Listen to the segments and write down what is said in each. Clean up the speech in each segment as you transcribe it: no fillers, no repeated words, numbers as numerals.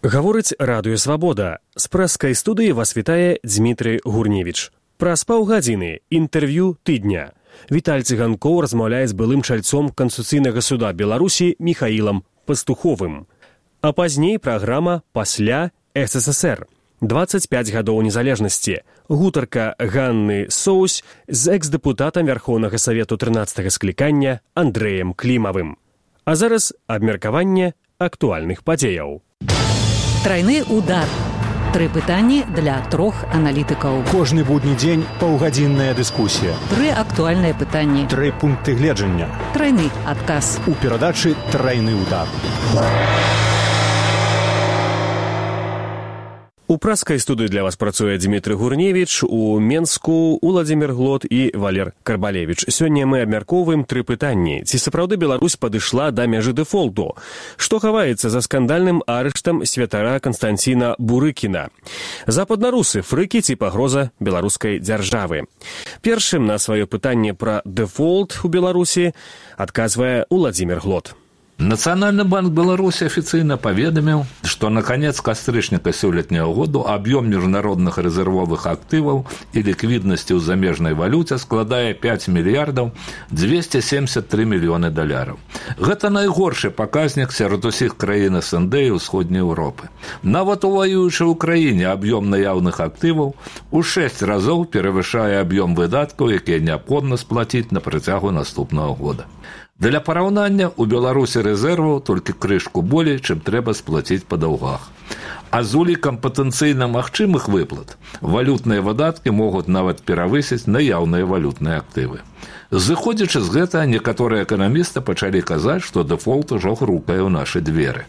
Гаворыць Радыё Свабода. З прэскай студыі вас вітае Дзмітрый Гурневіч. Праз паўгадзіны інтэрв'ю тыдня. Віталь Цыганкоў размаўляе з былым чальцом Канстытуцыйнага суда Беларусі Міхаілам Пастуховым. А пазней праграма «Пасля СССР». 25 гадоў незалежнасці. Гутарка Ганны Соусь з экс-дэпутатам Верхоўнага Савету 13-га склікання Андрэем Клімавым. А зараз абмеркаванне актуальных падзеяў. Трайны удар. 3 пытанні для 3 аналітыкаў. Кожны будні дзень паўгадзінная дыскусія. 3 актуальныя пытанні. 3 пункты гледжання. Трайны адказ. У перадачы «Трайны удар». У праскай студыі для вас працуе Дзмітрый Гурневіч, у Менску Уладзімір Глот і Валер Карбалевіч. Сёння мы абмяркоўваем 3 пытанні. Ці сапраўды Беларусь падышла да мяжы дэфолту? Што хаваецца за скандальным арыштам святара Канстанціна Бурыкіна? Западнарусы, фрыкі ці пагроза беларускай дзяржавы? Першым на сваё пытанне пра дэфолт у Беларусі адказвае Уладзімір Глот. Национальный банк Беларуси официально поведомил, что на конец кастрычника сёлетнего года объем международных резервовых активов и ликвидности в замежной валюте складае 5 миллиардов 273 миллионы долларов. Это найгоршы показник сярод усіх краін СНД и Усходней Европы. Нават у воюючай Украине объем наявных активов у 6 разов перевышае объем выдатков, якія необходимо сплатить на працягу наступного года. Для параўнання, у Беларусі рэзерваў толькі крышку болей, чым трэба сплаціць па даўгах. А з улікам патэнцыйна магчымых выплат валютныя выдаткі могуць нават перавысіць наяўныя валютныя актывы. Зыходзячы з гэтага, некаторыя эканамісты пачалі казаць, што дэфолт ужо грукае ў нашы дзверы.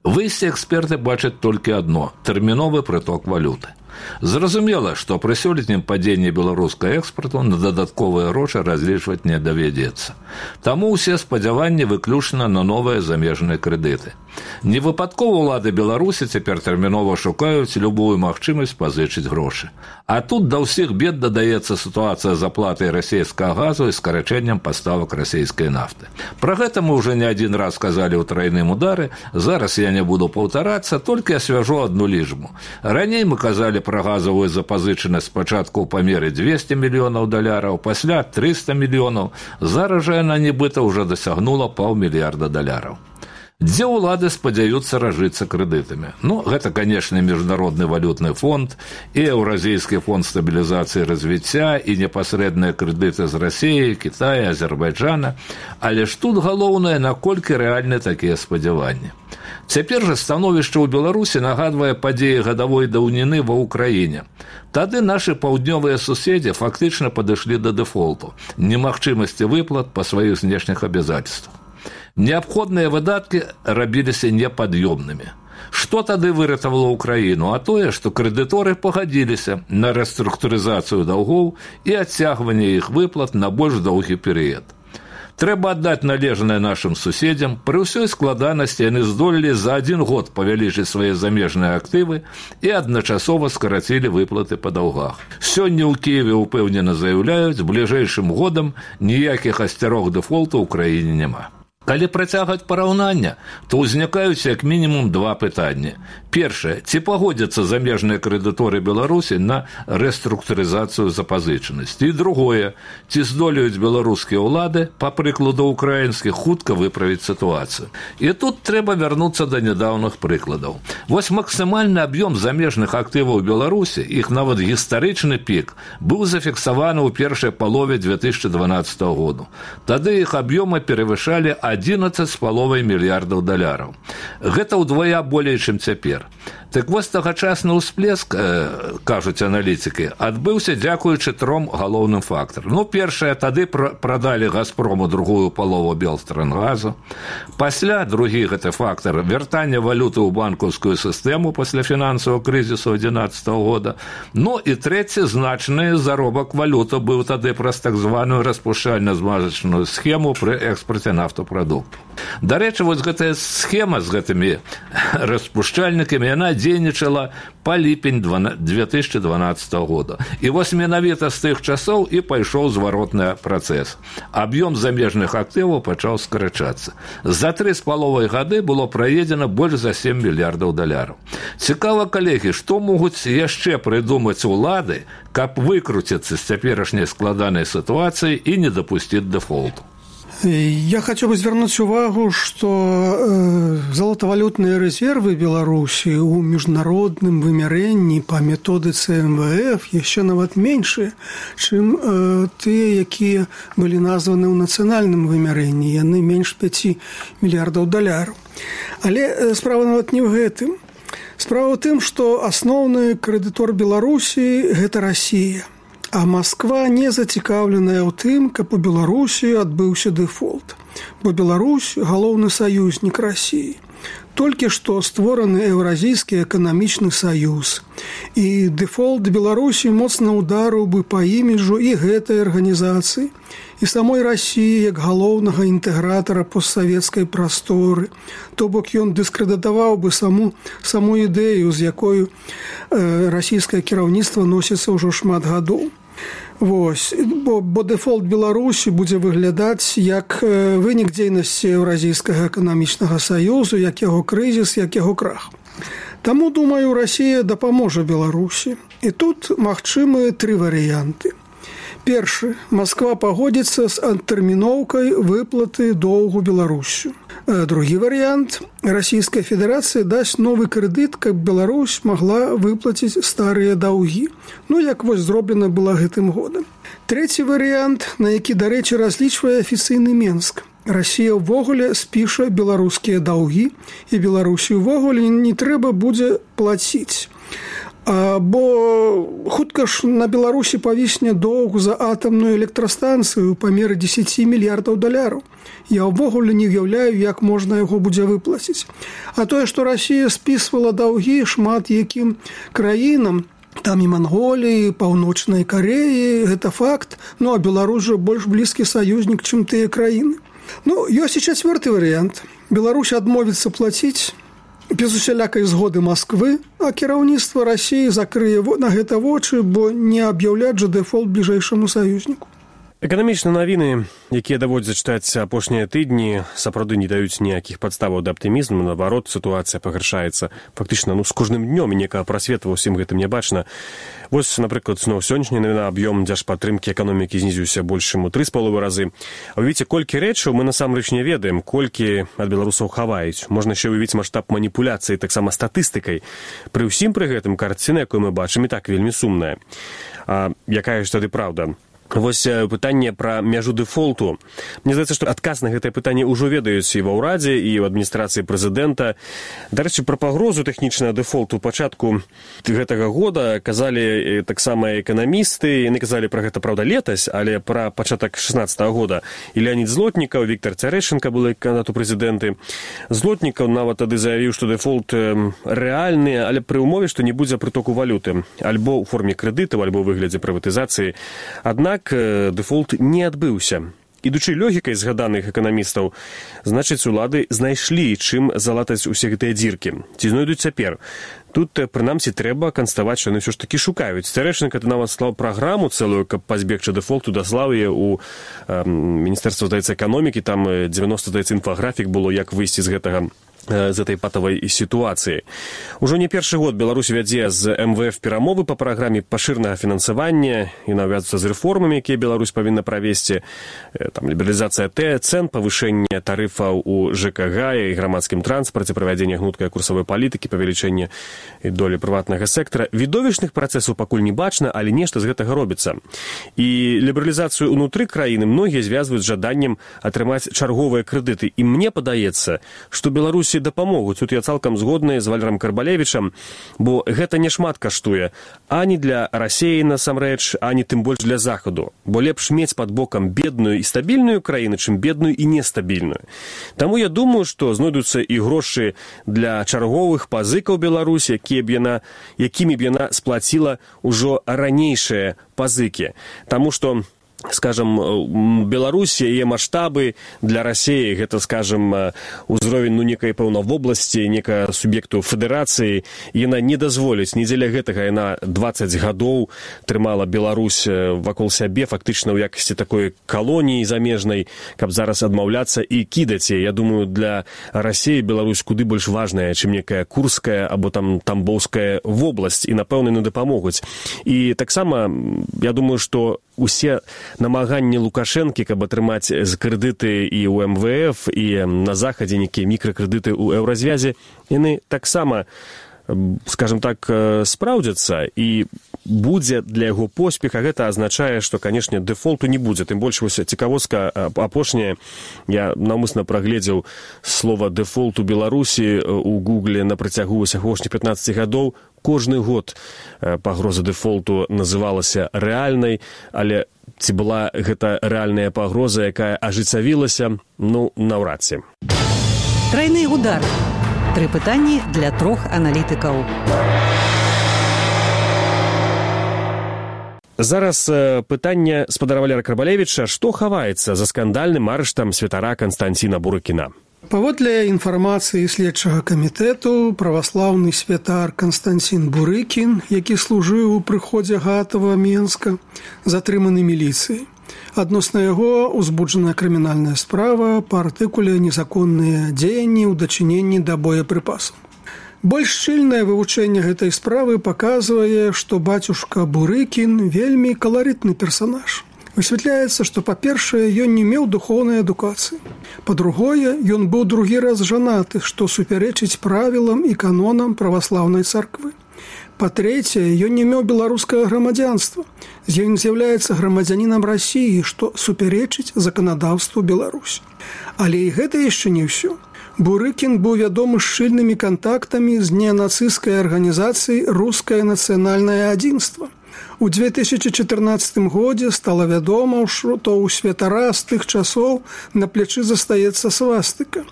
Выйсце эксперты бачаць толькі адно – тэрміновы прыток валюты. Зразумела, што пры сёлетнім падзенні беларускага экспарту на дадатковыя грошы разлічваць не давядзецца. Таму ўсе спадзяванні выключна на новыя замежныя крэдыты. Невыпадкова ўлады Беларусі цяпер тэрмінова шукаюць любую магчымасць пазычыць грошы. А тут да ўсіх бед дадаецца сітуацыя з аплатай расійскага газу і скарачэннем паставак расійскай нафты. Пра гэта мы ўжо не адзін раз казалі ў трайным удары, зараз я не буду паўтарацца, толькі асвяжу адну лічбу. Раней мы казалі пра газавую запазычанасць спачатку ў памеры 200 мільёнаў долараў, пасля 300 мільёнаў, зараз жа яна нібыта ўжо дасягнула $500 мільярда. Дзе ўлады спадзяюцца разжыцца крэдытамі? Гэта, канешне, Міжнародны валютны фонд і Еўразійскі фонд стабілізацыі і развіцця і непасрэдныя крэдыты з Расіі, Кітая, Азербайджана, але ж тут галоўнае, наколькі рэальны такія спадзяванні. Цяпер жа становішча ў Беларусі нагадвае падзеі гадавой даўніны ва ўкраіне. Тады нашы паўднёвыя суседзі фактычна падышлі да дэфолту, немагчымасці выплат па сваіх знешніх абавязацтвах. Неабходныя выдаткі рабіліся непад'ёмнымі. Што тады выратавала Украіну? А тое, што крэдыторы пагадзіліся на рэструктурызацыю даўгоў і адцягванне іх выплат на больш доўгі перыяд. Трэба аддаць належнае нашым суседзям, пры ўсёй складанасці яны здолелі за 1 год павялічыць свае замежныя актывы і адначасова скарацілі выплаты па даўгах. Сёння ў Кіеве ўпэўнена заяўляюць, бліжэйшым годам ніякіх асцярог дэфолту ў краіне няма. Калі працягваць параўнання, то ўзнікаюць як мінімум 2 пытанні. Першае, ці пагодзяцца замежныя крэдыторы Беларусі на рэструктурызацыю запазычанасці? І другое, ці здолеюць беларускія ўлады, па прыкладу украінскіх, хутка выправіць сітуацыю? І тут трэба вярнуцца да нядаўных прыкладаў. Вось максімальны аб'ём замежных актываў Беларусі, іх нават гістарычны пік, быў зафіксаваны ў першай палове 2012 году. Тады іх аб'ёмы перавышалі 11,5 мільярдаў долараў. Гэта ўдвая болей, чым цяпер. Так вось тагачасны ўсплеск, кажуць аналітыкі, адбыўся дзякуючы 3 галоўным фактарам. Першае, тады прадалі «Газпрому» другую палову «Белтрангазу». Пасля, другі гэты фактар, вяртанне валюты ў банкаўскую сістэму пасля фінансавага крызісу 2011 года. І трэці, значны заробак валюты быў тады праз так званую распушчальна-змазачную схему пры экспарце нафтапрадуктаў. Дарэчы, вось гэтая схема з гэтымі распушчальнікамі, яна дзейнічала па ліпень 2012 года. І вось менавіта з тых часоў і пайшоў зваротны працэс. Аб'ём замежных актываў пачаў скарачацца. За 3,5 гады было праедзена больш за 7 мільярдаў даляраў. Цікава, калегі, што могуць яшчэ прыдумаць улады, каб выкруціцца з цяперашняй складанай сітуацыі і не дапусціць дэфолту? Я хочу бы звернуть увагу, что золотовалютные резервы Беларуси у международным вымярэнні по методице МВФ еще нават меньше, чем те, якія были названы ў нацыянальным вымярэнні. Яны менш 5 мільярдаў даляраў. Але справа нават не ў гэтым. Справа ў тым, што асноўны крэдытор Беларусі – гэта Россия. А Москва не зацікаўленая ў тым, каб у Беларусі адбыўся дэфолт. Бо Беларусь – галоўны саюзнік России. Толькі што створаны Еўразійскі эканамічны саюз. І дэфолт Беларусі моцна ударыў бы па іміджу і гэтай арганізацыі, і самой России як галоўнага інтэгратара постсавецкай прасторы. То бок ён дыскрэдытаваў бы саму ідэю, з якою расійскае кіраўніцтва носіцца ўжо шмат гадоў. Вось, бо дэфолт Беларусі будзе выглядаць як вынік дзейнасці Еўразійскага эканамічнага саюзу, як яго крызіс, як яго крах. Таму, думаю, Расія дапаможа Беларусі. І тут магчымы 3 варыянты. Першы. Москва пагодзіцца з адтэрміноўкай выплаты доўгу Беларусю. Другі варыянт. Расійская Федэрацыя дасць новы крэдыт, каб Беларусь магла выплаціць старыя даўгі. Ну, як вось зроблена была гэтым годам. Трэці варыянт, на які, дарэчы, разлічвае афіцыйны Менск. Расія ўвогуле спіша беларускія даўгі, і Беларусі ўвогуле не трэба будзе плаціць. Бо хутка ж на Беларусі павісне доўг за атамную электрастанцыю ў памеры 10 мільярдаў даляраў. Я ўвогуле не ўяўляю, як можна яго будзе выплаціць. А тое, што Расія спісвала даўгі шмат якім краінам, там і Манголіі, Паўночнай Кареі, гэта факт, ну а Беларусь жа больш блізкі саюзнік, чым тыя краіны. Ну, ёсць і 4-ы варыянт. Беларусь адмовіцца плаціць без усялякай згоды Москвы, а кіраўніцтва России закрые на гэта вочы, бо не аб'яўляць жа дэфолт бліжэйшаму саюзніку. Эканамічныя навіны, якія даводзяць чытаць апошнія тыдні, сапраўды не даюць ніякіх падставаў да аптымізму. Наадварот, сітуацыя пагаршаецца фактычна з кожным днём, і некага прасвету ўсім гэтым не бачна. Вось, напрыклад, зноў сённяшняя навіна, аб'ём дзяржпатрымкі эканомікі знізіўся больш чым у 3,5 разы. А ўявіце, колькі рэчаў мы насамрэч не ведаем, колькі ад беларусаў хаваюць. Можна яшчэ ўявіць маштаб маніпуляцыі, таксама статыстыкай. Пры ўсім пры гэтым карціна, якую мы бачым, і так вельмі сумная. А якая ж тады праўда? Вось пытанне пра мяжу дэфолту. Мне здаецца, што адказ на гэтае пытанне ўжо ведаюць і ва ўрадзе, і ў адміністрацыі прэзідэнта. Дарэчы, пра пагрозу тэхнічнага дэфолту пачатку гэтага года казалі таксама эканамісты. Яны казалі пра гэта, праўда, летась, але пра пачатак 16-го года. І Леонід Злотнікаў, Віктор Цярэшенка былі кандыдат у прэзідэнты. Злотнікаў нават тады заявіў, што дэфолт рэальны, але пры ўмове, што не будзе прытоку валюты. Альбо ў форме крэдытаў, альбо ў выглядзе прыватызацыі. Аднак дэфолт не адбыўся. Ідучы логікай згаданых эканамістаў, значыць, улады знайшлі, чым залатаць усе гэтыя дзіркі. Ці знойдуць цяпер? Тут, прынамсі, трэба канстатаваць, што яны ўсё ж такі шукаюць. Цярэшенка нават склаў праграму цэлую, каб пазбегчы дэфолту, даслаў яе ў Міністэрства, здаецца, эканомікі. Там 90, здаецца, інфаграфік было, як выйсці з этой патавай сітуацыі. Ужо не першы год Беларусь вядзе з МВФ перамовы па праграме пашырнага фінансавання і навязвацца з рэформамі, якія Беларусь павінна правесці. Там лібералізацыя цэн, павышэнне тарыфаў у ЖКГ і грамадскім транспарце, правядзенне гнуткай курсавой палітыкі, павелічэнне долі прыватнага сектара. Відовішчных працэсаў пакуль не бачна, але нешта з гэтага робіцца. І лібералізацыю ўнутры краіны многія звязваюць з жаданнем атрымаць чарговыя крэдыты. І мне падаецца, што Беларусі дапамогуць. Тут я цалкам згодны з Валерам Карбалевічам, бо гэта не шмат каштуе ані для Расіі насамрэч, ані тым больш для Захаду. Бо лепш мець пад бокам бедную і стабільную краіну, чым бедную і нестабільную. Таму я думаю, што знойдуцца і грошы для чарговых пазыкаў Беларусі, якімі б яна сплаціла ўжо ранейшыя пазыкі. Таму што скажем, Беларусь, яе маштабы для России, гэта, скажем, узровень, некай, пэўна, вобласці, некая суб'екту федэрацыі, яна не дазволіць, не дзеля гэтага яна 20 гадоў трымала Беларусь вакол сябе, фактычна ў якасці такой калоніі замежнай, каб зараз адмаўляцца і кідаць. Я думаю, для России Беларусь куды больш важная, чым некая Курская або там Тамбоўская вобласць, і, напэўна, не дапамогуць. І таксама, я думаю, што усе намаганні Лукашэнкі, каб атрымаць крэдыты і ў МВФ, і на захадзе некія мікракрэдыты ў еўразвязе, яны таксама, скажем так, спраўдзяцца, і будзе для яго поспеха. Гэта азначае, што, канешне, дэфолту не будзе. Тым больш, вось цікавостка апошняя, я наўмысна прагледзеў слова дэфолт у Беларусі у Гугле на працягу апошніх 15 гадоў. Кожны год пагроза дэфолту называлася рэальнай, але ці была гэта рэальная пагроза, якая ажыццявілася, наўрад ці. Трайны удар. 3 пытанні для 3 аналітыкаў. Зараз пытанне спадара Валера Карбалевіча. Што хаваецца за скандальным арыштам святара Канстанціна Бурыкіна? Паводле інфармацыі следчага камітэту, праваслаўны святар Канстанцін Бурыкін, які служыў у прыходзе Гатава Менска, затрыманы міліцыяй. Адносна яго узбуджаная крымінальная справа па артыкуле «Незаконныя дзеянні ў дачыненні да боепрыпасаў». Больш шчыльнае вывучэнне гэтай справы паказвае, што бацюшка Бурыкін вельмі каларытны персанаж. Высвятляецца, што, па-першае, ён не меў духоўнай адукацыі. Па-другое, ён быў другі раз жанаты, што супярэчыць правілам і канонам праваслаўнай царквы. Па-трэцяе, ён не меў беларускага грамадзянства. Ён з'яўляецца грамадзянінам Расіі, што супярэчыць заканадаўству Беларусі. Але і гэта яшчэ не ўсё. Бурыкін быў вядомы шчыльнымі кантактамі з неанацысцкай арганізацыяй «Рускае нацыянальнае адзінства». У 2014 годзе стала вядома, што ў святара з тых часоў на плячы застаецца свастыка.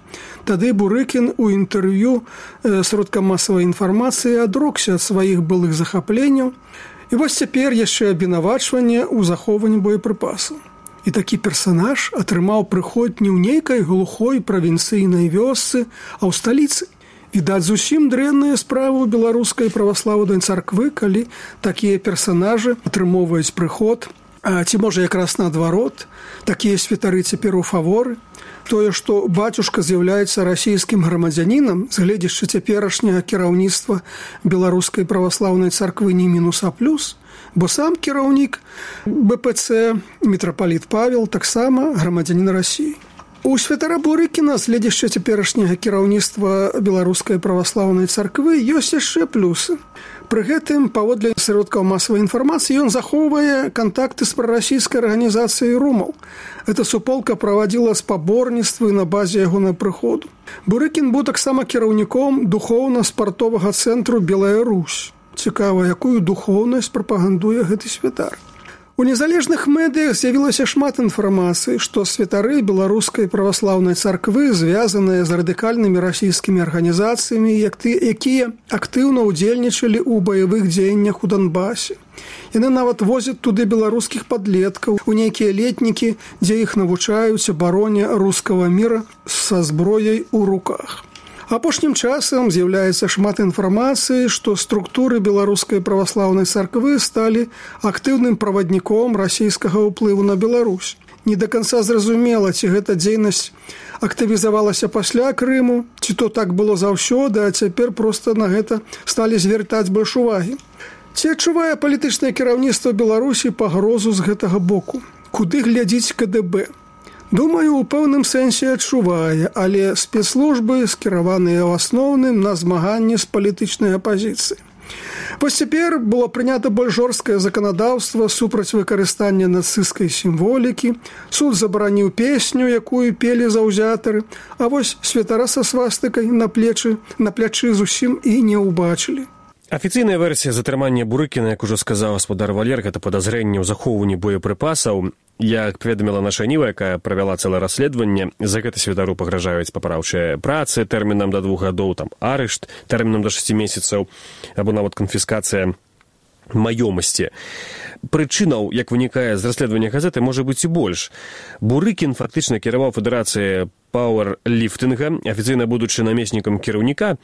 Тады Бурыкін у інтэрв'ю сродкам масавай інфармацыі адрокся ад сваіх былых захапленняў. І вось цяпер яшчэ абвінавачванне ў захоўванні боепрыпасаў. І такі персанаж атрымаў прыход не ў нейкай глухой правінцыйнай вёсцы, а ў сталіцы. Відаць, зусім дрэнная справа ў беларускай праваслаўнай царквы, калі такія персанажы атрымоўваюць прыход, ці можа якраз наадварот, такія святары цяпер у фаворы. Тое, што бацюшка з'яўляецца расійскім грамадзянінам, з гледзячы цяперашняга кіраўніцтва беларускай праваслаўнай царквы не мінус а плюс, бо сам кіраўнік БПЦ, мітрапаліт Павел, таксама грамадзянін Расіі. У святара Бурыкіна, з гледзячы цяперашняга кіраўніцтва беларускай праваслаўнай царквы, ёсць яшчэ плюсы. Пры гэтым, паводле сродкаў масавай інфармацыі, ён захоўвае кантакты з прарасійскай арганізацыяй «Румаў». Эта суполка правадзіла спаборніцтвы на базе ягонай прыходу. Бурыкін быў таксама кіраўніком духоўна-спартовага цэнтру «Белая Русь». Цікава, якую духоўнасць прапагандуе гэты святар. У незалежных медыях з'явілася шмат інфармацыі, што святары беларускай праваслаўнай царквы звязаныя з радыкальнымі расійскімі арганізацыямі, якія актыўна ўдзельнічалі ў баявых дзеяннях у Донбасе. Яны нават возяць туды беларускіх падлеткаў, у нейкія летнікі, дзе іх навучаюць абароне рускага міра са зброяй у руках. Апошнім часам з'яўляецца шмат інфармацыі, што структуры беларускай праваслаўнай царквы сталі актыўным правадніком расійскага ўплыву на Беларусь. Не да канца зразумела, ці гэта дзейнасць актывізавалася пасля Крыму, ці то так было заўсёды, а цяпер проста на гэта сталі звяртаць больш увагі. Ці адчувае палітычнае кіраўніцтва Беларусі пагрозу з гэтага боку? Куды глядзіць КДБ? Думаю, у пэўным сэнсе адчувае, але спецслужбы скіраваныя ў асноўным на змаганне з палітычнай апазіцыяй. Вось цяпер было прынята больш жорсткае заканадаўства супраць выкарыстання нацысцкай сімволікі, суд забараніў песню, якую пелі заўзятары, а вось святара са свастыкай на плячы зусім і не ўбачылі. Афіцыйная версія затрымання Бурыкіна, як ужо сказаў гаспадар Валер, гэта падазрэнне ў захоўванні боепрыпасаў. Як паведаміла наша Ніва, якая правяла цэлае расследаванне, за гэта святару пагражаюць папраўчыя працы тэрмінам да 2 гадоў, там арышт тэрмінам да 6 месяцаў, або нават канфіскацыя маёмасці. Прычынаў, як вынікае з расследавання газеты, можа быць і больш. Бурыкін фактычна кіраваў федэрацыяй пауэрліфтынга, афіцыйна будучы намеснікам кіраўніка.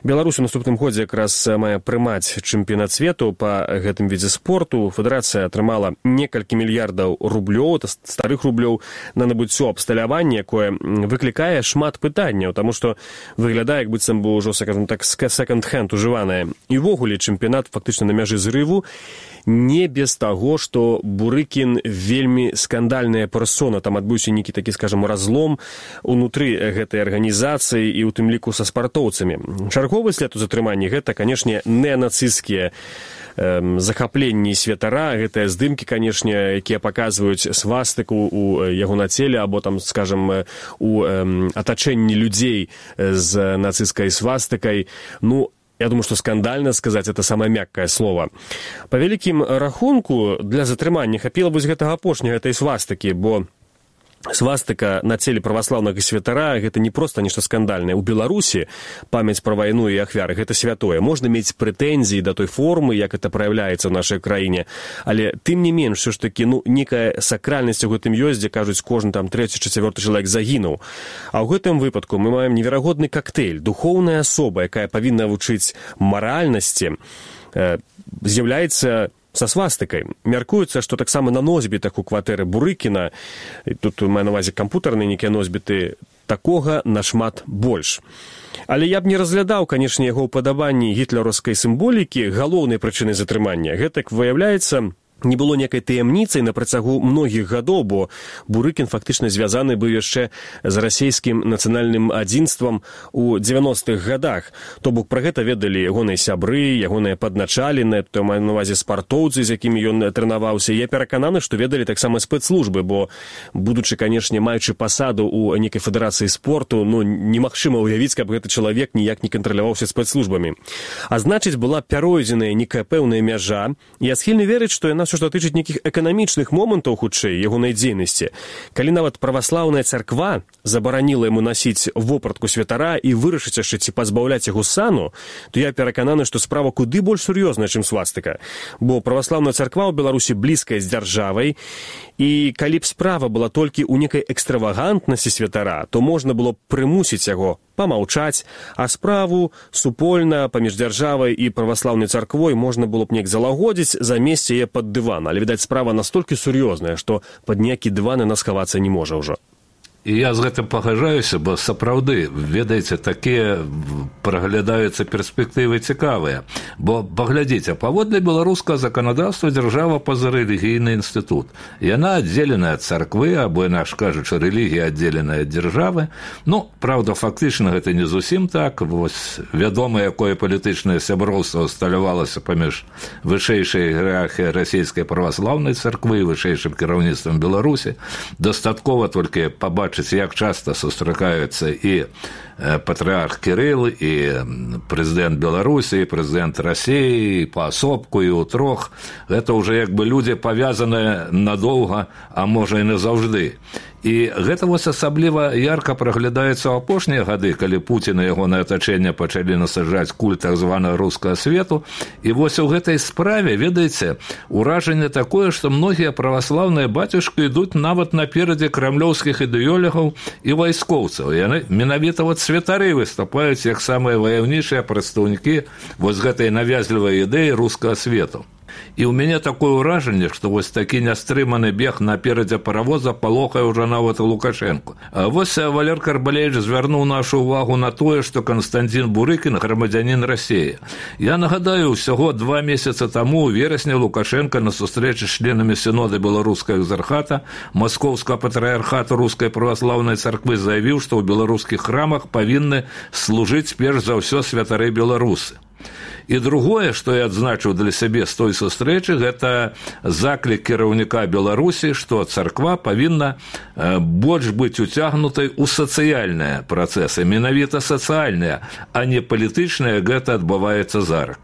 Беларусь у наступным годзе якраз мае прымаць чэмпіянат свету па гэтым відзе спорту. Федэрацыя атрымала некалькі мільярдаў рублёў, старых рублёў, на набыццё абсталявання, якое выклікае шмат пытанняў, таму што выглядае, як быццам бы ўжо, скажем так, секонд-хенд ужыванае. І ўвогуле чэмпіянат фактычна на мяжы зрыву, не без таго, што Бурыкін вельмі скандальная персона, там адбыўся нейкі такі, скажем, разлом унутры гэтай арганізацыі і ў тым ліку са спартоўцамі. Чарговы след у затрыманні гэта, канешне, неанацысцкія захапленні святара, гэтыя здымкі, канешне, якія паказваюць свастыку у яго на целе, або там, скажем, у атачэнні людзей з нацысцкай свастыкай. Ну, я думаю, што скандальна сказаць, это самае мяккае слово. Па вялікім рахунку, для затрымання хапіла вось гэтага апошняга, гэтай свастыкі, бо свастыка на целе праваслаўнага святара – гэта не проста нешта скандальнае. У Беларусі памяць пра вайну і ахвяры – гэта святое. Можна мець прэтэнзіі да той формы, як это праяўляецца ў нашай краіне, але тым не менш, все ж такі, некая сакральнасць у гэтым ёсць, дзе кажуць, кожны там 3-4 чалавек загінуў. А ў гэтым выпадку мы маем неверагодны коктейль. Духоўная асоба, якая павінна вучыць маральнасці, з'яўляецца са свастыкай. Мяркуецца, што таксама на носьбітах у кватэры Бурыкіна, тут маю на ўвазе кампутарныя нейкія носьбіты, такога нашмат больш. Але я б не разглядаў, канешне, яго ўпадабанні гітлераўскай сімволікі галоўнай прычынай затрымання. Гэта, выяўляецца, не было некай таямніцай на працягу многіх гадоў, бо Бурыкін фактычна звязаны быў яшчэ з расійскім нацыянальным адзінствам у 90-х гадах. То бок пра гэта ведалі ягоныя сябры, ягоныя падначаленыя, то маю на ўвазе спартоўцы, з якімі ён трэнаваўся. Я перакананы, што ведалі таксама спецслужбы, бо, будучы, канешне, маючы пасаду ў некай федэрацыі спорту, немагчыма ўявіць, каб гэты чалавек ніяк не кантраляваўся спецслужбамі. А значыць, была пяройдзеная некая пэўная мяжа, і я схільны верыць, што яна што датычыць нейкіх эканамічных момантаў, хутчэй, ягонай дзейнасці. Калі нават праваслаўная царква забараніла яму насіць вопратку святара і вырашыць яшчэ ці пазбаўляць яго сану, то я перакананы, што справа куды больш сур'ёзная, чым свастыка. Бо праваслаўная царква ў Беларусі блізкая з дзяржавай, і калі б справа была толькі ў некай экстравагантнасці святара, то можна было б прымусіць яго памаўчаць, а справу супольна паміж дзяржавай і праваслаўнай царквой можна было б неяк залагодзіць, замесці яе пад дыван. Але, відаць, справа настолькі сур'ёзная, што пад ніякі дыван яна схавацца не можа ўжо. І я з гэтым пагаджаюся, бо сапраўды, ведаеце, такія праглядаюцца перспектывы цікавыя. Бо, паглядзіце, паводле беларускага заканадаўства дзяржава пазарэлігійны інстытут. Яна аддзеленая ад царквы, або, інакш кажучы, рэлігія аддзеленая ад дзяржавы. Праўда, фактычна гэта не зусім так. Вось вядома, якое палітычнае сяброўства усталявалася паміж вышэйшай іерархіяй расійскай праваслаўнай царквы і вышэйшым кіраўніцтвам Беларусі. Дастаткова толькі пабачыць, як часта сустракаюцца і патрыарх Кірыл, і прэзідэнт Беларусі, і прэзідэнт Расіі, і паасобку, і ўтрох. Гэта ўжо як бы людзі павязаныя надоўга, а можа і назаўжды. І гэта вось асабліва ярка праглядаецца ў апошнія гады, калі Пуцін і ягонае атачэнне пачалі насаджаць культ так званага рускага свету. І вось у гэтай справе, ведаеце, уражанне такое, што многія праваслаўныя бацюшкі ідуць нават наперадзе крамлёўскіх ідэологаў і вайскоўцаў. Яны менавіта вот святары выступаюць як самыя ваяўнейшыя прадстаўнікі вось гэтай навязлівай ідэі рускага свету. І ў мяне такое ўражанне, што вось такі нястрыманы бег наперадзе паравоза палохае ўжо нават Лукашэнку. А вось Валер Карбалевіч звярнуў нашу ўвагу на тое, што Канстанцін Бурыкін грамадзянін Расіі. Я нагадаю, усяго 2 месяцы таму у верасні Лукашенко на сустрэчы з членамі сінода беларускага экзархата Маскоўскага патрыярхату рускай праваслаўнай царквы заявіў, што ў беларускіх храмах павінны служыць перш за ўсё святары беларусы. І другое, што я адзначыў для сябе з той сустрэчы, гэта заклік кіраўніка Беларусі, што царква павінна больш быць уцягнутай у сацыяльныя працэсы, менавіта сацыяльныя, а не палітычныя, гэта адбываецца зараз.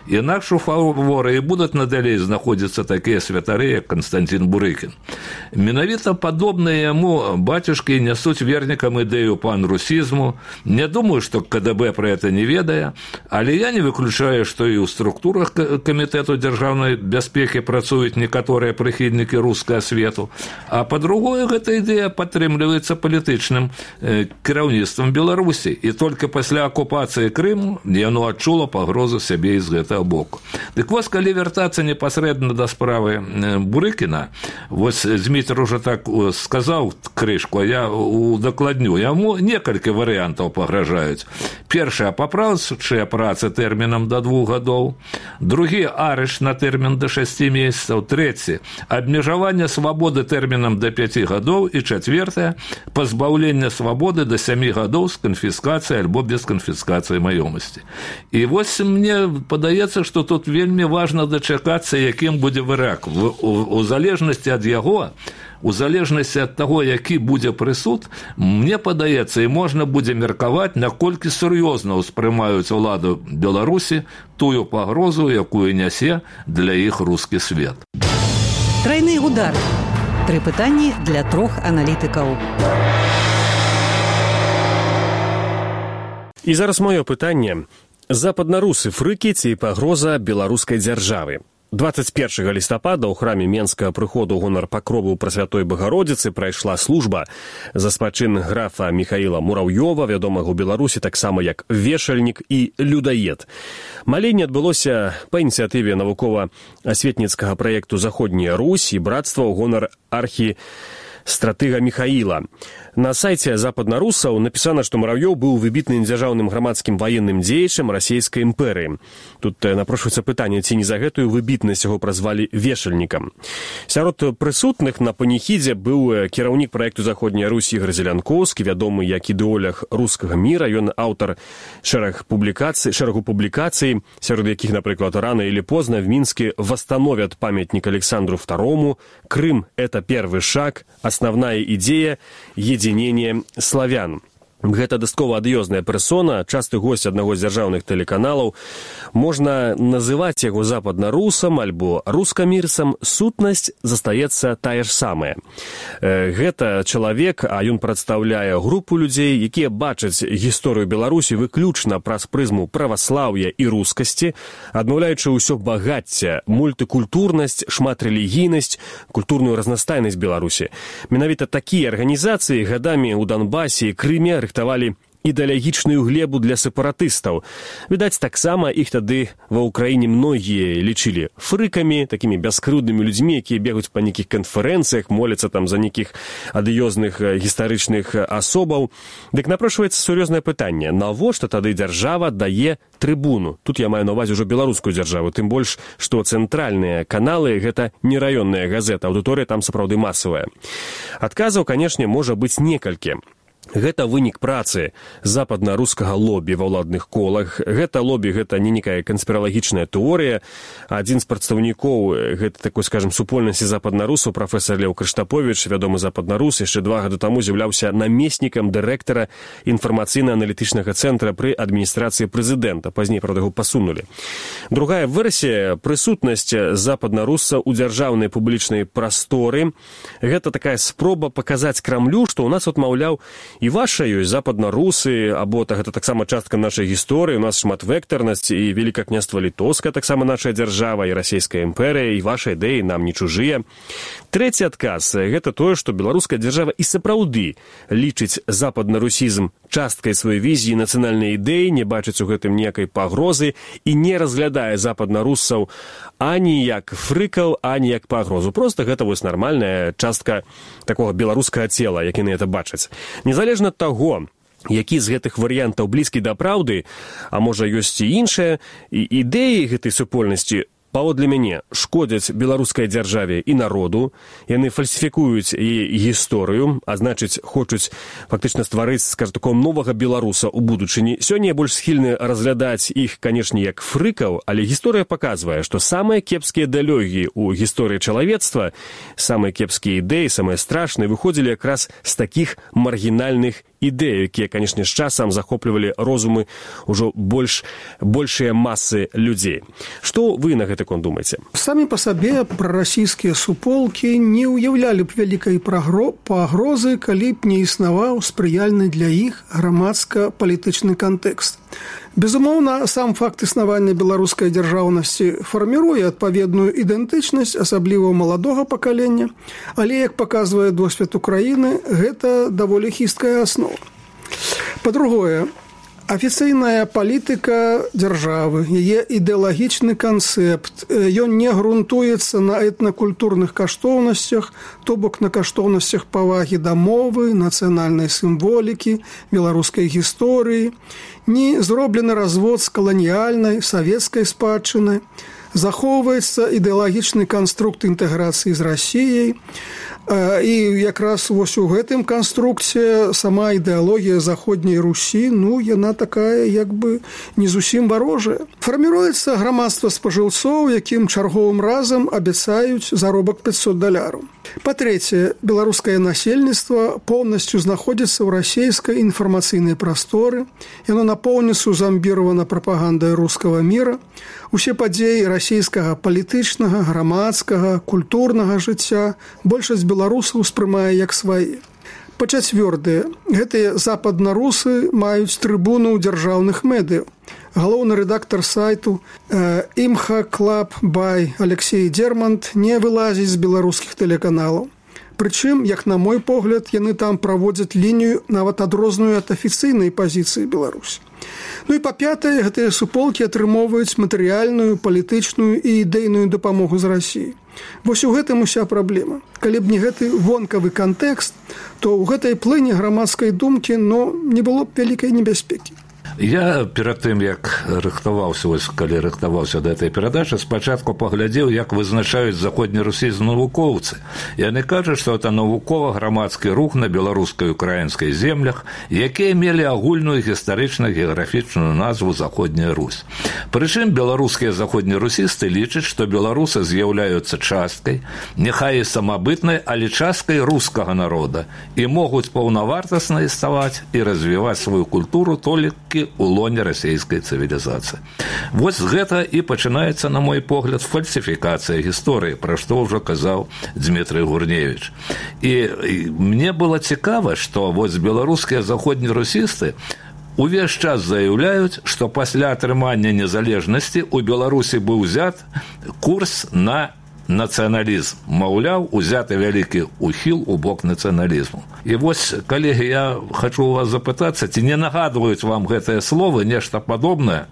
Інакш у фаворы і будуць надалей знаходзіцца такія святары, як Константин Бурыкін. Менавіта падобныя яму бацюшкі нясуць вернікам ідэю пан-русізму. Не думаю, што КДБ пра гэта не ведае, але я не выключаю, што і ў структурах Камітэту дзяржаўнай бяспекі працуюць некаторыя прыхільнікі рускага свету, а па-другое, гэта ідэя падтрымліваецца палітычным кіраўніцтвам Беларусі, і толькі пасля акупацыі Крыму яно адчула пагрозу сябе з гэтага боку. Дык вось, калі вяртацца непасрэдна да справы Бурыкіна, вось Зміцер уже так сказаў крышку, а я удакладню. Яму некалькі варыянтаў пагражаюць. Першае, папраўчыя працы тэрмінам да 2 гадоў. Другі, арыш на тэрмін да 6 месяцаў. Трэці, абмежаванне свабоды тэрмінам да 5 гадоў. І чацвертае, пазбаўленне свабоды да 7 гадоў з канфіскацыяй альбо без канфіскацыі маёмасці. І вось мне падаецца, што тут вельмі важна дачакацца, якім будзе вырак. У залежнасці ад яго, у залежнасці ад таго, які будзе прысуд, мне падаецца, і можна будзе меркаваць, наколькі сур'ёзна ўспрымаюць уладу Беларусі тую пагрозу, якую нясе для іх рускі свет. Трайны удар. 3 пытанні для 3 аналітыкаў. І зараз маё пытанне. Западнарусы фрыкі ці пагроза беларускай дзяржавы? 21 лістапада ў храме Менскага прыходу гонар пакрову Прасвятой Багародзіцы прайшла служба за спачын графа Міхаіла Мураўёва, вядомага ў Беларусі таксама як вешальнік і людаед. Маленне адбылося па ініцыятыве навукова-асветніцкага праекту «Заходняя Русь» і братства ў гонар архістратыга Міхаіла. На сайце западнарусаў напісана, што Муравьёў быў выбітным дзяржаўным грамадскім ваенным дзеячам расійскай імперыі. Тут напрошваецца пытанне, ці не за гэтую выбітнасць яго празвалі вешальнікам. Сярод прысутных на паніхідзе быў кіраўнік праекту «Заходняя Русь» Ігор Зелянкоўскі, вядомы як ідэолог рускага міра. Ён аўтар шэрагу публікацый, сярод якіх, напрыклад, «Рано или поздно в Минске восстановят памятник Александру II», «Крым – это первый шаг», «Основная идея», «Единение славян». Гэта дастаткова адыёзная персона, часты госць аднаго з дзяржаўных тэлеканалаў. Можна называць яго западнарусам альбо рускамірцам, сутнасць застаецца тая ж самая. Гэта чалавек, а ён прадстаўляе групу людзей, якія бачаць гісторыю Беларусі выключна праз прызму праваслаўя і рускасці, адмаўляючы ўсё багацце, мультыкультурнасць, шматрэлігійнасць, культурную разнастайнасць Беларусі. Менавіта такія арганізацыі гадамі ў Донбасе і Крыме рыхтавалі ідэалагічную глебу для сепаратыстаў. Відаць, таксама іх тады ва ўкраіне многія лічылі фрыкамі, такімі бяскрыўднымі людзьмі, якія бегаюць па нейкіх канферэнцыях, моляцца там за нейкіх адыёзных гістарычных асобаў. Дык напрошваецца сур'ёзнае пытанне: навошта тады дзяржава дае трыбуну? Тут я маю на ўвазе ўжо беларускую дзяржаву, тым больш, што цэнтральныя каналы — гэта не раённая газета, аўдыторыя там сапраўды масавая. Адказаў, канешне, можа быць некалькі. Гэта вынік працы западна-рускага лобі ва ўладных колах. Гэта лобі, гэта не некая канспіралагічная тэорыя. Адзін з прадстаўнікоў гэта такой, скажем, супольнасці западнарусаў, прафесар Леў Крыштаповіч, вядомы западнарус, яшчэ 2 гады таму з'яўляўся намеснікам дырэктара інфармацыйна-аналітычнага цэнтра пры адміністрацыі прэзідэнта. Пазней, правда, яго пасунулі. Другая версія — прысутнасць западнаруса ў дзяржаўнай публічнай прасторы. Гэта такая спроба паказаць Крамлю, што ў нас, маўляў, і ваша ёсць западнарусы, або гэта таксама частка нашай гісторыі, у нас шматвектарнасць, і Великае княства Літоўскае таксама нашая дзяржава, і расійская імперыя, і ваша ідэі нам не чужыя. Трэці адказ — гэта тое, што беларуская дзяржава і сапраўды лічыць западнарусізм часткай сваёй візіі нацыянальнай ідэі, не бачыць у гэтым ніякай пагрозы і не разглядае западнарусаў ані як фрыкаў, ані як пагрозу. Проста гэта вось нармальная частка такога беларускага цела, як яны гэта бачаць. Незалежна ад таго, які з гэтых варыянтаў блізкі да праўды, а можа ёсць і іншыя, ідэі гэтай супольнасці, паводле мяне, шкодзяць беларускай дзяржаве і народу. Яны фальсіфікуюць яе гісторыю, а значыць, хочуць фактычна стварыць, скажу, такого новага беларуса ў будучыні. Сёння я больш схільны разглядаць іх, канешне, як фрыкаў, але гісторыя паказвае, што самыя кепскія ідэалогіі ў гісторыі чалавецтва, самыя кепскія ідэі, самыя страшныя, выходзілі якраз з такіх маргінальных ідэі, якія, канешне, з часам захоплівалі розумы ўжо большыя масы людзей. Што вы на гэты конт думаеце? Самі па сабе прарасійскія суполкі не ўяўлялі б вялікай пагрозы, калі б не існаваў спрыяльны для іх грамадска-палітычны кантэкст. Безумоўна, сам факт існавання беларускай дзяржаўнасці фарміруе адпаведную ідэнтычнасць, асабліва маладога пакалення, але, як паказвае досвед Украіны, гэта даволі хісткая аснова. Па-другое, афіцыйная палітыка дзяржавы, яе ідэалагічны канцэпт, ён не грунтуецца на этнакультурных каштоўнасцях, то бок на каштоўнасцях павагі да мовы, нацыянальнай сімволікі, беларускай гісторыі, не зроблены развод з каланіяльнай, савецкай спадчыны, захоўваецца ідэалагічны канструкт інтэграцыі з Расіяй, і якраз вось у гэтым канструкце сама ідэалогія заходняй Русі, яна такая як бы не зусім варожая. Фарміруецца грамадства спажыўцоў, якім чарговым разам абяцаюць заробак $500. Па-трэцяе, беларускае насельніцтва поўнасцю знаходзіцца ў расійскай інфармацыйнай прасторы, яно напоўніцу замбіравана прапагандай рускага міра, усе падзеі расійскага палітычнага, грамадскага, культурнага жыцця большасць беларусаў успрымае як свае. Па-чацвёртае, гэтыя западнарусы маюць трыбуну ў дзяржаўных медыяў. Галоўны рэдактар сайту «Имха Клаб Бай» Алексей Дермант не вылазіць з беларускіх тэлеканалаў. Прычым, як на мой погляд, яны там праводзяць лінію нават адрозную ад афіцыйнай пазіцыі Беларусі. І па-пятае, гэтыя суполкі атрымоўваюць матэрыяльную, палітычную і ідэйную дапамогу з Расіі. Вось у гэтым уся праблема. Калі б не гэты вонкавы кантэкст, то ў гэтай плыні грамадскай думкі не было б вялікай небяспекі. Я перад тым, як калі рыхтаваўся да этой перадачы, спачатку паглядзеў, як вызначаюць заходнерусійскія навукоўцы. Яны кажуць, што это навукова-грамадскі рух на беларускай і украінскай землях, якія мелі агульную гістарычна-геаграфічную назву Заходняя Русь. Прычым беларускія заходнерусісты лічаць, што беларусы з'яўляюцца часткай, няхай і самабытнай, але часткай рускага народа і могуць паўнавартасна існаваць і развіваць сваю культуру толькі у лоне расійскай цывілізацыі. Вось гэта і пачынаецца, на мой погляд, фальсіфікацыя гісторыі, пра што ўжо казаў Дмітрый Гурневіч. І мне было цікава, што вось беларускія заходнерусісты увесь час заяўляюць, што пасля атрымання незалежнасці ў Беларусі быў узят курс на нацыяналізм. Маўляў, узяты вялікі ухіл у бок нацыяналізму. І вось, калегі, я хачу у вас запытацца, ці не нагадваюць вам гэтыя словы, нешта падобнае,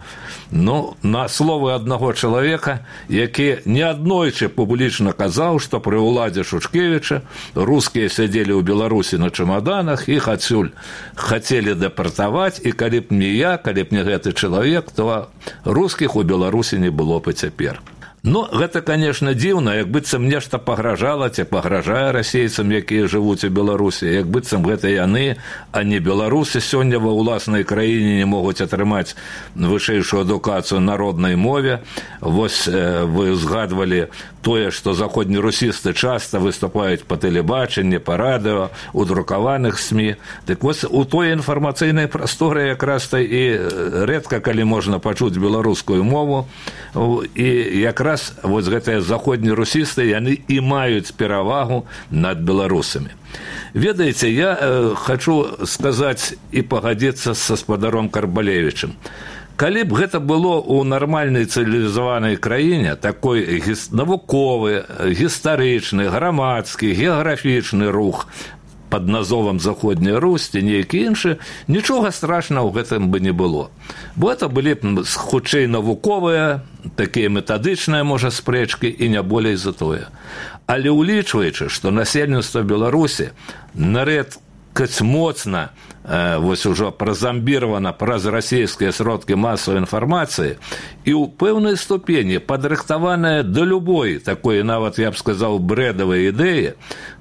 на словы аднаго чалавека, які неаднойчы публічна казаў, што пры ўладзе Шушкевіча рускія сядзелі ў Беларусі на чамаданах, іх адсюль хацелі дэпартаваць, і калі б не я, калі б не гэты чалавек, то рускіх у Беларусі не было б і цяпер. Гэта, конечно, дзіўна, як быццам нешта пагражала, ці пагражае расейцам, якія жывуць у Беларусі, як быццам гэта яны, а не беларусы сёння ва ўласнай краіне не могуць атрымаць вышэйшую адукацыю на роднай мове. Вось вы згадвалі тое, што заходнерусісты часта выступаюць па тэлебачанні, па радыо, у друкаваных СМІ. Дык вось у той інфармацыйнай прасторы якраз-то і рэдка калі можна пачуць беларускую мову, і якраз вось гэтыя заходнерусісты, яны і маюць перавагу над беларусамі. Ведаеце, я хачу сказаць і пагадзіцца са спадаром Карбалевічым. Калі б гэта было ў нармальнай цывілізаванай краіне, такой навуковы, гістарычны, грамадскі, геаграфічны рух пад назовам Заходняя Русь ці нейкі іншы, нічога страшнага ў гэтым бы не было. Бо это былі б хутчэй навуковыя, такія метадычныя, можа, спрэчкі і не болей за тое. Але ўлічваючы, што насельніцтва Беларусі нарэдкаць моцна вось ужо празамбіравана праз расійскія сродкі масавай інфармацыі і ў пэўнай ступені падрыхтаваная да любой такой, нават, я б сказаў, брэдавай ідэі,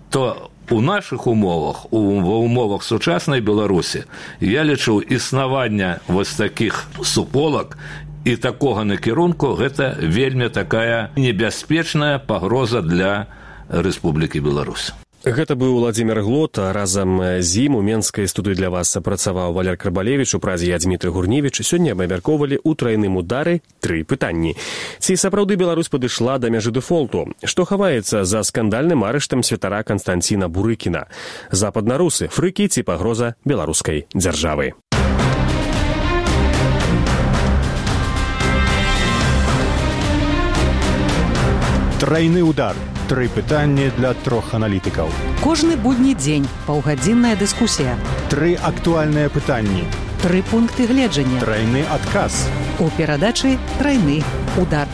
то у нашых умовах, ва умовах сучаснай Беларусі, я лічу існаванне вось такіх суполак і такога накірунку, гэта вельмі такая небяспечная пагроза для Рэспублікі Беларусь. Гэта быў Владзімир Глот, разам з ім у Менскай студыі для вас працаваў Валер Карбалевіч, у празе я Дзмітрый Гурневіч. Сёння мы абмяркоўвалі ў трайным удары 3 пытанні. Ці сапраўды Беларусь падышла да мяжы дэфолту? Што хаваецца за скандальным арыштам святара Канстанціна Бурыкіна? Западнарусы, фрыкі ці пагроза беларускай дзяржавы? Трайны удар. 3 пытанні для 3 аналітыкаў. Кожны будні дзень паўгадзінная дыскусія. 3 актуальныя пытанні. 3 пункты гледжання. Трайны адказ. У перадачы «Трайны удар».